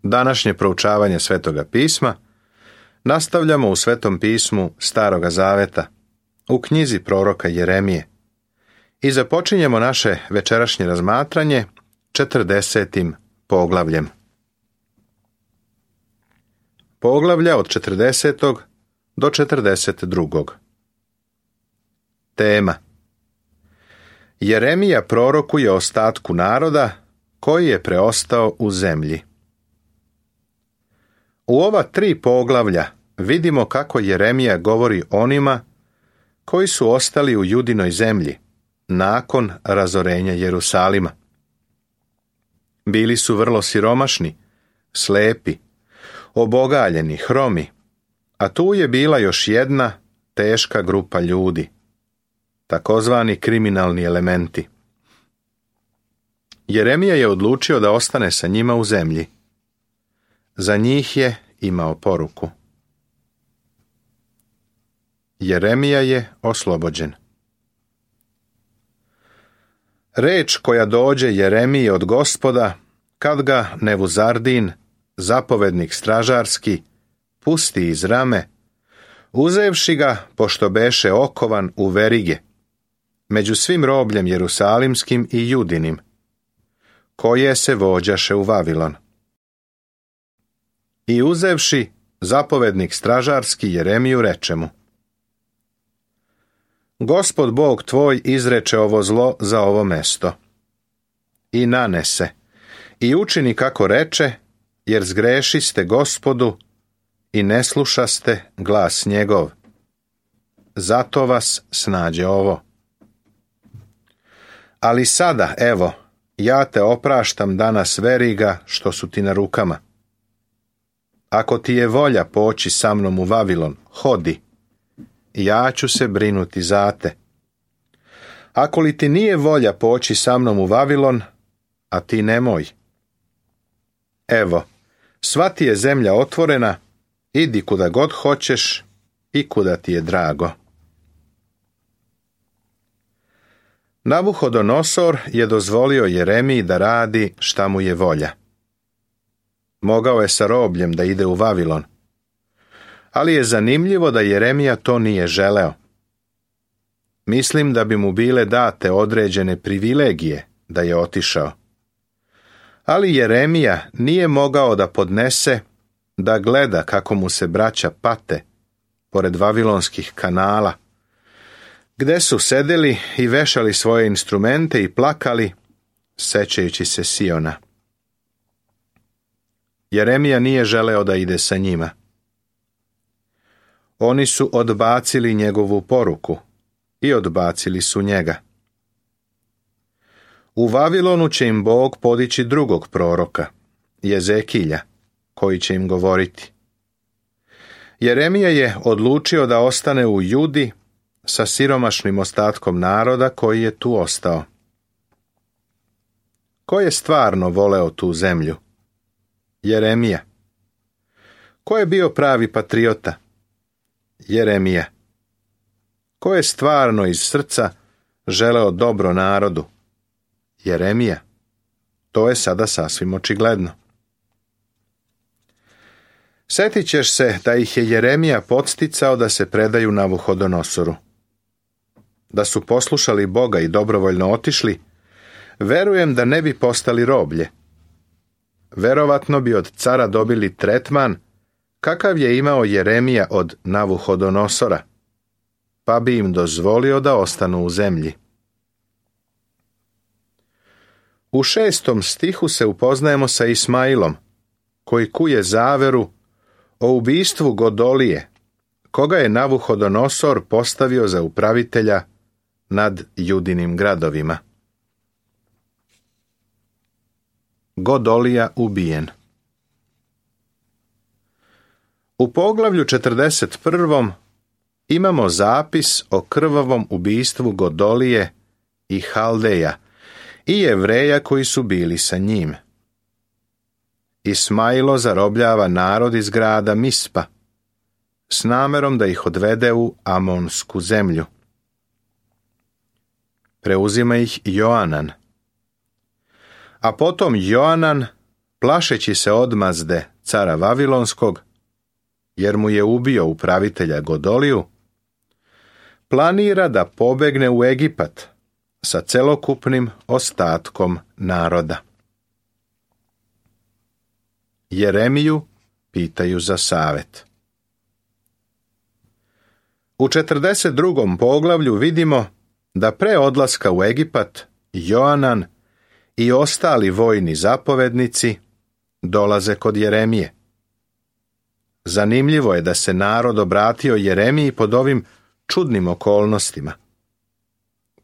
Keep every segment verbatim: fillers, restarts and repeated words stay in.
Današnje proučavanje Svetoga pisma nastavljamo u Svetom pismu Staroga Zaveta, u knjizi proroka Jeremije, i započinjemo naše večerašnje razmatranje četrdesetim poglavljem. Poglavlja od četrdesetog do četrdeset drugog. Tema: Jeremija prorokuje ostatku naroda koji je preostao u zemlji. U ova tri poglavlja vidimo kako Jeremija govori onima koji su ostali u Judinoj zemlji nakon razorenja Jerusalima. Bili su vrlo siromašni, slepi, obogaljeni, hromi, a tu je bila još jedna teška grupa ljudi, takozvani kriminalni elementi. Jeremija je odlučio da ostane sa njima u zemlji. Za njih je imao poruku. Jeremija je oslobođen. Reč koja dođe Jeremiji od Gospoda, kad ga Nevuzardin, zapovednik stražarski, pusti iz rame, uzevši ga, pošto beše okovan u verige, među svim robljem jerusalimskim i judinim, koje se vođaše u Vavilon. I uzevši, zapovednik stražarski Jeremiju reče mu: Gospod Bog tvoj izreče ovo zlo za ovo mesto. I nanese, i učini kako reče, jer zgrešiste Gospodu i ne slušaste glas njegov. Zato vas snađe ovo. Ali sada, evo, ja te opraštam danas veriga što su ti na rukama. Ako ti je volja poći sa mnom u Vavilon, hodi, ja ću se brinuti za te. Ako li ti nije volja poći sa mnom u Vavilon, a ti nemoj. Evo, sva ti je zemlja otvorena, idi kuda god hoćeš i kuda ti je drago. Navuhodonosor je dozvolio Jeremiji da radi šta mu je volja. Mogao je sa robljem da ide u Vavilon, ali je zanimljivo da Jeremija to nije želeo. Mislim da bi mu bile date određene privilegije da je otišao. Ali Jeremija nije mogao da podnese da gleda kako mu se braća pate pored vavilonskih kanala, gde su sedeli i vešali svoje instrumente i plakali, sećajući se Siona. Jeremija nije želeo da ide sa njima. Oni su odbacili njegovu poruku i odbacili su njega. U Vavilonu će im Bog podići drugog proroka, Jezekilja, koji će im govoriti. Jeremija je odlučio da ostane u Judi sa siromašnim ostatkom naroda koji je tu ostao. Ko je stvarno voleo tu zemlju? Jeremija. Ko je bio pravi patriota? Jeremija. Ko je stvarno iz srca želeo dobro narodu? Jeremija. To je sada sasvim očigledno. Sjetit ćeš se da ih je Jeremija podsticao da se predaju Navuhodonosoru. Da su poslušali Boga i dobrovoljno otišli, verujem da ne bi postali roblje. Verovatno bi od cara dobili tretman kakav je imao Jeremija od Navuhodonosora, pa bi im dozvolio da ostanu u zemlji. U šestom stihu se upoznajemo sa Ismailom, koji kuje zaveru o ubistvu Godolije, koga je Navuhodonosor postavio za upravitelja nad Judinim gradovima. Godolija ubijen. U poglavlju četrdeset prvom imamo zapis o krvavom ubistvu Godolije i Haldeja i Jevreja koji su bili sa njim. Ismailo zarobljava narod iz grada Mispa s namerom da ih odvede u Amonsku zemlju. Preuzima ih Joanan. A potom Joanan plašeći se odmazde cara Vavilonskog, jer mu je ubio upravitelja Godoliju, planira da pobegne u Egipat sa celokupnim ostatkom naroda. Jeremiju pitaju za savet. U četrdeset drugom poglavlju vidimo da pre odlaska u Egipat Joanan i ostali vojni zapovednici dolaze kod Jeremije. Zanimljivo je da se narod obratio Jeremiji pod ovim čudnim okolnostima.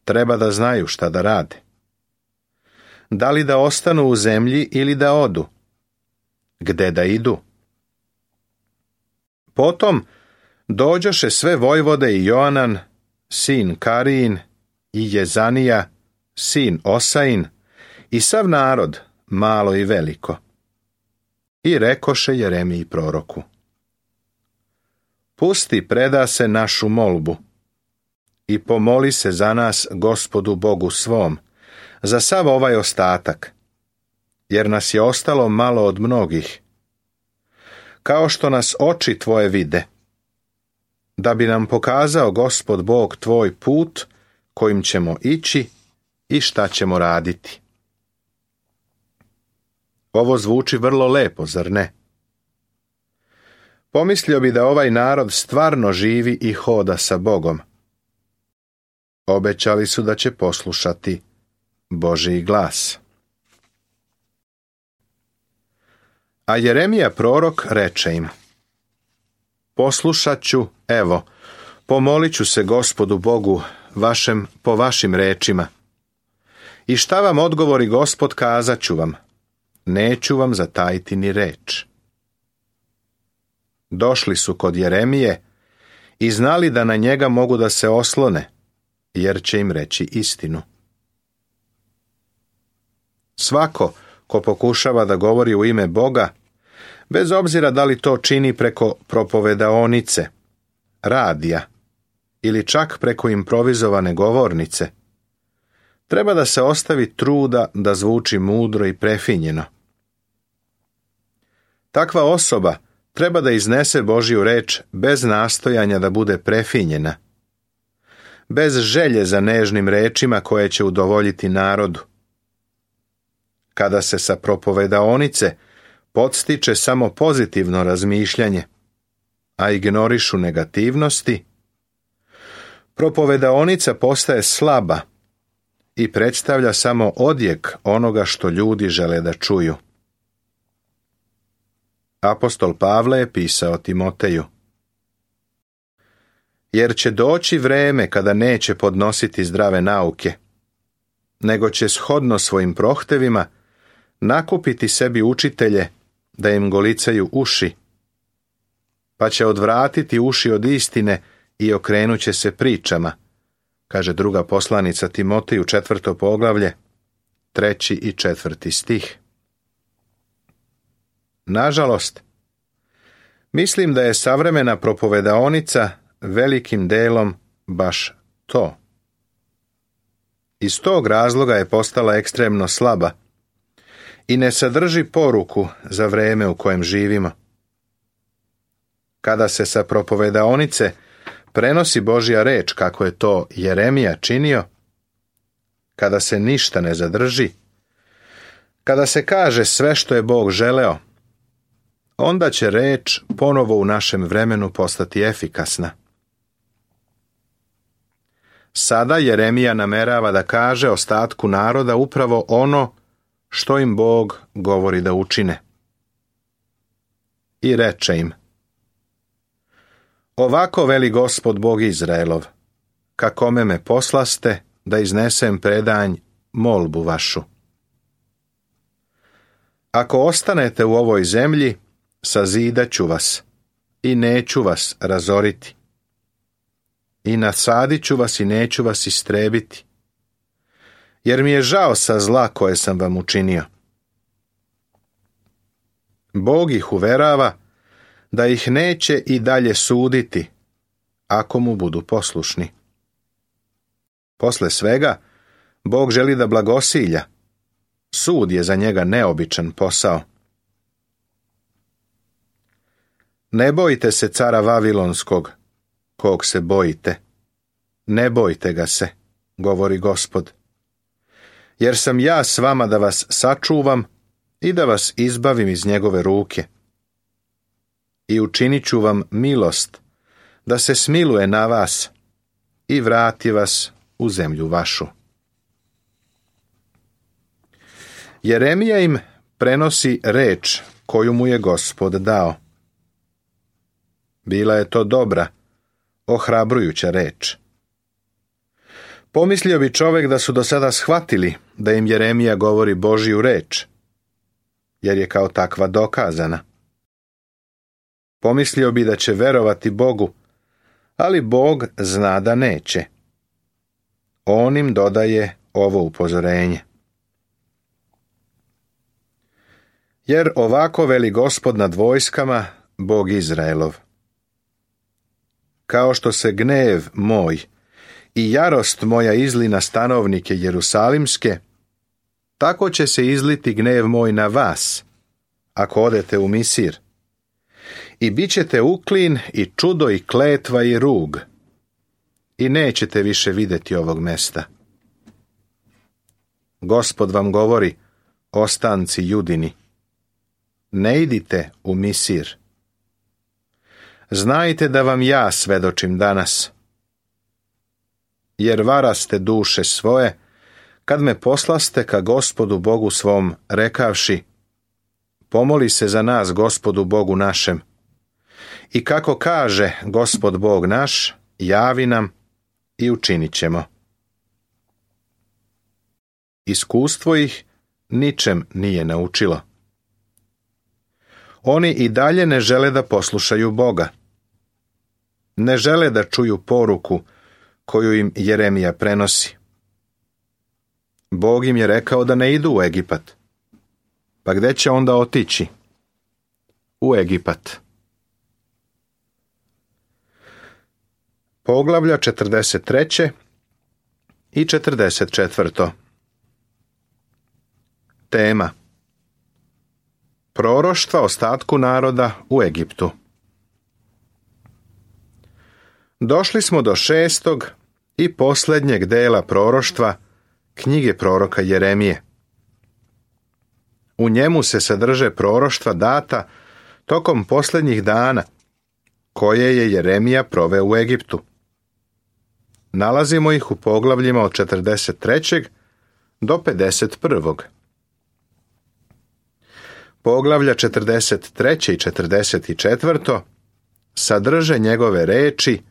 Treba da znaju šta da rade. Da li da ostanu u zemlji ili da odu? Gde da idu? Potom dođoše sve vojvode i Joanan, sin Karijin, i Jezanija, sin Osain, i sav narod, malo i veliko. I rekoše Jeremiji proroku: Pusti preda se našu molbu i pomoli se za nas Gospodu Bogu svom, za sav ovaj ostatak, jer nas je ostalo malo od mnogih, kao što nas oči tvoje vide, da bi nam pokazao Gospod Bog tvoj put kojim ćemo ići i šta ćemo raditi. Ovo zvuči vrlo lepo, zar ne? Pomislio bi da ovaj narod stvarno živi i hoda sa Bogom. Obećali su da će poslušati Božji glas. A Jeremija prorok reče im: Poslušat ću, evo, pomolit ću se Gospodu Bogu vašem po vašim rečima. I šta vam odgovori Gospod, kazat ću vam. Neću vam zatajiti ni reč. Došli su kod Jeremije i znali da na njega mogu da se oslone, jer će im reći istinu. Svako ko pokušava da govori u ime Boga, bez obzira da li to čini preko propovedaonice, radija ili čak preko improvizovane govornice, treba da se ostavi truda da zvuči mudro i prefinjeno. Takva osoba treba da iznese Božju reč bez nastojanja da bude prefinjena, bez želje za nežnim rečima koje će udovoljiti narodu. Kada se sa propovedaonice podstiče samo pozitivno razmišljanje, a ignorišu negativnosti, propovedaonica postaje slaba i predstavlja samo odjek onoga što ljudi žele da čuju. Apostol Pavle je pisao Timoteju: Jer će doći vreme kada neće podnositi zdrave nauke, nego će shodno svojim prohtevima nakupiti sebi učitelje da im golicaju uši, pa će odvratiti uši od istine i okrenuće se pričama, kaže druga poslanica Timoteju, četvrto poglavlje, treći i četvrti stih. Nažalost, mislim da je savremena propovedaonica velikim delom baš to. Iz tog razloga je postala ekstremno slaba i ne sadrži poruku za vreme u kojem živimo. Kada se sa propovedaonice prenosi Božja reč, kako je to Jeremija činio, kada se ništa ne zadrži, kada se kaže sve što je Bog želeo, onda će reč ponovo u našem vremenu postati efikasna. Sada Jeremija namerava da kaže ostatku naroda upravo ono što im Bog govori da učine. I reče im: Ovako veli Gospod Bog Izraelov, kakome me poslaste da iznesem predanj molbu vašu. Ako ostanete u ovoj zemlji, sazidat ću vas i neću vas razoriti. I nasadit ću vas i neću vas istrebiti, jer mi je žao sa zla koje sam vam učinio. Bog ih uverava da ih neće i dalje suditi, ako mu budu poslušni. Posle svega, Bog želi da blagosilja. Sud je za njega neobičan posao. Ne bojte se cara Vavilonskog, kog se bojite. Ne bojte ga se, govori Gospod. Jer sam ja s vama da vas sačuvam i da vas izbavim iz njegove ruke. I učinit ću vam milost, da se smiluje na vas i vrati vas u zemlju vašu. Jeremija im prenosi reč koju mu je Gospod dao. Bila je to dobra, ohrabrujuća reč. Pomislio bi čovjek da su do sada shvatili da im Jeremija govori Božju reč, jer je kao takva dokazana. Pomislio bi da će verovati Bogu, ali Bog zna da neće. On im dodaje ovo upozorenje. Jer ovako veli Gospod nad vojskama, Bog Izraelov. Kao što se gnev moj i jarost moja izli na stanovnike Jerusalimske, tako će se izliti gnev moj na vas, ako odete u Misir. I bit ćete uklin i čudo i kletva i rug, i nećete više vidjeti ovog mesta. Gospod vam govori, ostanci Judini, ne idite u Misir. Znajte da vam ja svedočim danas, jer varaste duše svoje, kad me poslaste ka Gospodu Bogu svom, rekavši, pomoli se za nas Gospodu Bogu našem. I kako kaže Gospod Bog naš, javi nam i učinit ćemo. Iskustvo ih ničem nije naučilo. Oni i dalje ne žele da poslušaju Boga. Ne žele da čuju poruku koju im Jeremija prenosi. Bog im je rekao da ne idu u Egipat. Pa gde će onda otići? U Egipat. Poglavlja četrdeset tri i četrdeset četiri. Tema: proroštva ostatku naroda u Egiptu. Došli smo do šestog i posljednjeg dela proroštva knjige proroka Jeremije. U njemu se sadrže proroštva data tokom posljednjih dana, koje je Jeremija proveo u Egiptu. Nalazimo ih u poglavljima od četrdeset tri do pedeset jedan. Poglavlja četrdeset tri i četrdeset četiri sadrže njegove reči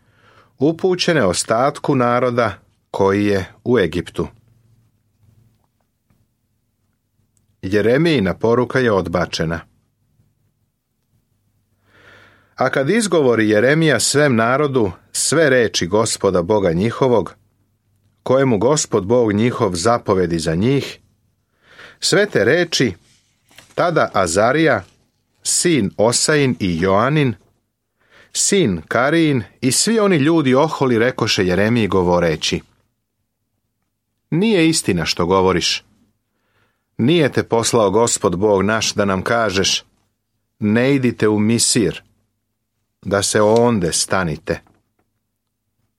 upućene ostatku naroda koji je u Egiptu. Jeremijina poruka je odbačena. A kad izgovori Jeremija svem narodu sve reči Gospoda Boga njihovog, kojemu Gospod Bog njihov zapovedi za njih, sve te reči tada Azarija, sin Osain i Joanin, sin Karin i svi oni ljudi oholi rekoše Jeremiji govoreći: nije istina što govoriš. Nije te poslao Gospod Bog naš da nam kažeš, ne idite u Misir, da se onde stanite.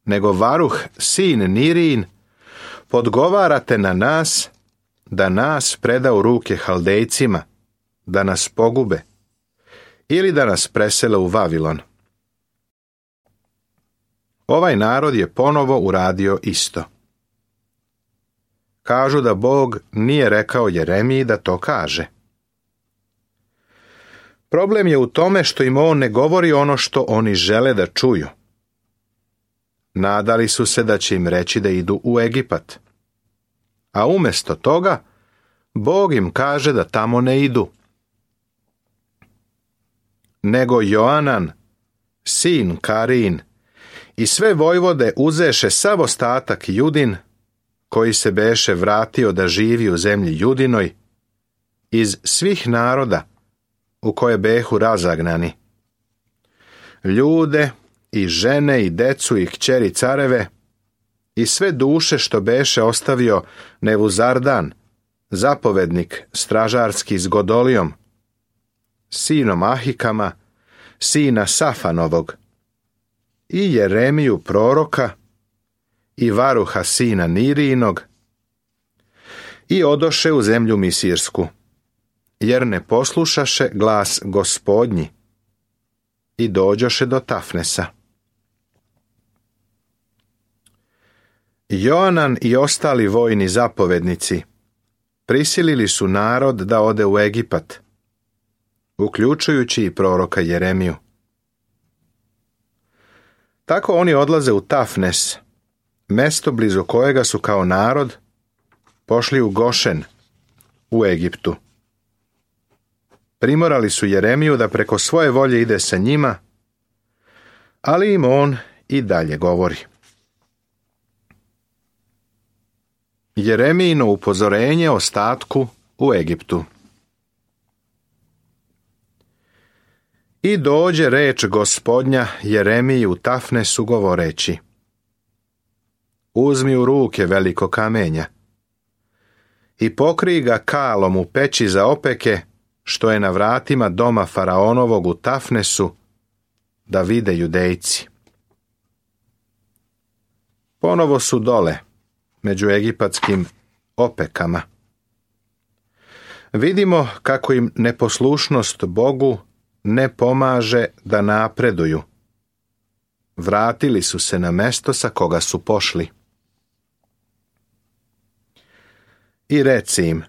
Nego Varuh, sin Nirin, podgovarate na nas, da nas preda u ruke Haldejcima, da nas pogube, ili da nas presele u Vavilon. Ovaj narod je ponovo uradio isto. Kažu da Bog nije rekao Jeremiji da to kaže. Problem je u tome što im on ne govori ono što oni žele da čuju. Nadali su se da će im reći da idu u Egipat. A umjesto toga, Bog im kaže da tamo ne idu. Nego Joanan, sin Karin, i sve vojvode uzeše sav ostatak Judin, koji se beše vratio da živi u zemlji Judinoj, iz svih naroda u koje behu razagnani. Ljude i žene i decu i kćeri careve i sve duše što beše ostavio Nevuzardan, zapovednik stražarski s Godolijom, sinom Ahikama, sina Safanovog, i Jeremiju proroka, i Varuha sina Nirijinog, i odoše u zemlju Misirsku, jer ne poslušaše glas Gospodnji, i dođoše do Tafnesa. Joanan i ostali vojni zapovednici prisilili su narod da ode u Egipat, uključujući i proroka Jeremiju. Tako oni odlaze u Tafnes, mesto blizu kojega su kao narod pošli u Gošen, u Egiptu. Primorali su Jeremiju da preko svoje volje ide sa njima, ali im on i dalje govori. Jeremijino upozorenje ostatku u Egiptu. I dođe reč Gospodnja Jeremiji u Tafnesu govoreći: uzmi u ruke veliko kamenja i pokrij ga kalom u peći za opeke, što je na vratima doma faraonovog u Tafnesu, da vide Judejci. Ponovo su dole, među egipatskim opekama. Vidimo kako im neposlušnost Bogu ne pomaže da napreduju. Vratili su se na mesto sa koga su pošli. I reci im: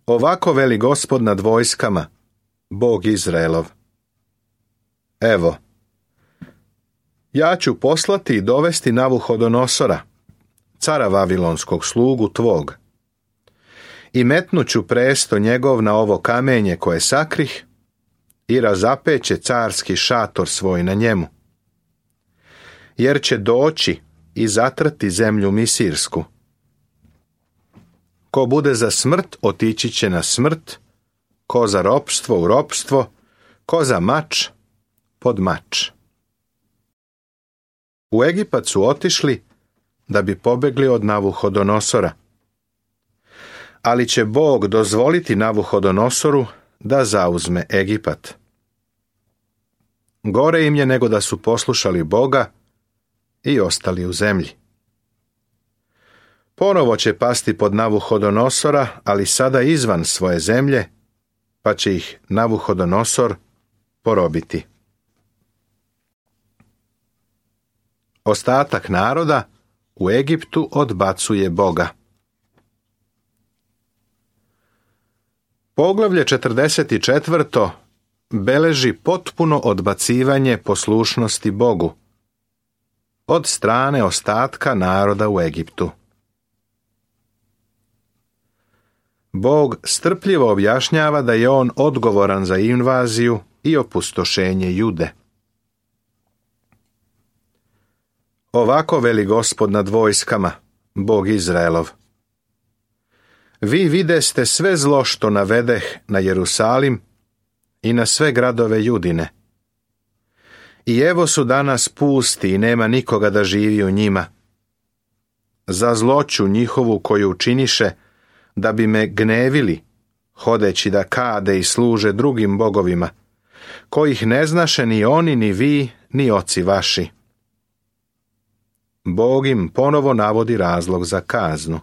ovako veli Gospod nad vojskama, Bog Izraelov: evo, ja ću poslati i dovesti Navuhodonosora, cara vavilonskog, slugu tvog, i metnuću presto njegov na ovo kamenje koje sakrih, i razapeće carski šator svoj na njemu. Jer će doći i zatrti zemlju Misirsku. Ko bude za smrt, otići će na smrt, ko za ropstvo u ropstvo, ko za mač pod mač. U Egipat su otišli da bi pobegli od Navuhodonosora. Ali će Bog dozvoliti Navuhodonosoru da zauzme Egipat. Gore im je nego da su poslušali Boga i ostali u zemlji. Ponovo će pasti pod Navuhodonosora, ali sada izvan svoje zemlje, pa će ih Navuhodonosor porobiti. Ostatak naroda u Egiptu odbacuje Boga. Poglavlje četrdeset četiri. Beleži potpuno odbacivanje poslušnosti Bogu od strane ostatka naroda u Egiptu. Bog strpljivo objašnjava da je on odgovoran za invaziju i opustošenje Jude. Ovako veli Gospod nad vojskama, Bog Izraelov: vi videste sve zlo što navedeh na Jerusalim i na sve gradove Judine. I evo su danas pusti i nema nikoga da živi u njima. Za zloću njihovu koju učiniše, da bi me gnevili, hodeći da kade i služe drugim bogovima, kojih ne znaše ni oni, ni vi, ni oci vaši. Bog im ponovo navodi razlog za kaznu.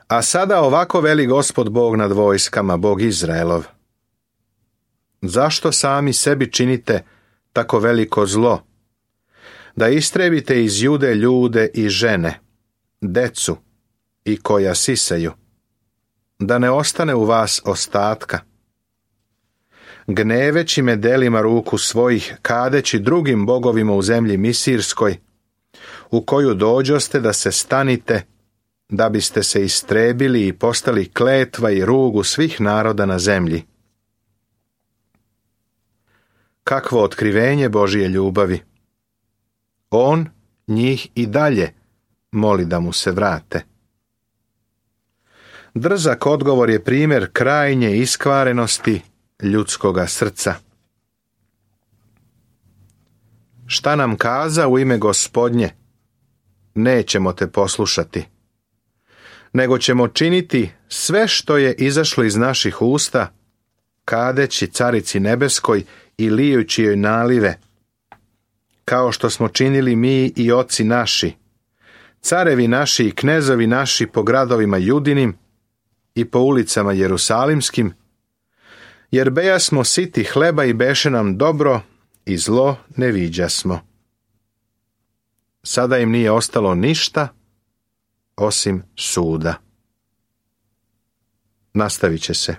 A sada ovako veli Gospod Bog nad vojskama, Bog Izraelov: zašto sami sebi činite tako veliko zlo, da istrebite iz Jude ljude i žene, decu i koja siseju, da ne ostane u vas ostatka? Gneveći me delima ruku svojih, kadeći drugim bogovima u zemlji Misirskoj, u koju dođoste da se stanite, da biste se istrebili i postali kletva i rugu svih naroda na zemlji. Kakvo otkrivenje Božije ljubavi! On njih i dalje moli da mu se vrate. Drzak odgovor je primjer krajnje iskvarenosti ljudskoga srca. Šta nam kaza u ime Gospodnje? Nećemo te poslušati, nego ćemo činiti sve što je izašlo iz naših usta, kadeći carici nebeskoj i lijući joj nalive, kao što smo činili mi i oci naši, carevi naši i knezovi naši po gradovima Judinim i po ulicama Jerusalimskim, jer beja smo siti hleba i beše nam dobro i zlo ne viđasmo. Sada im nije ostalo ništa osim suda. Nastavit će se.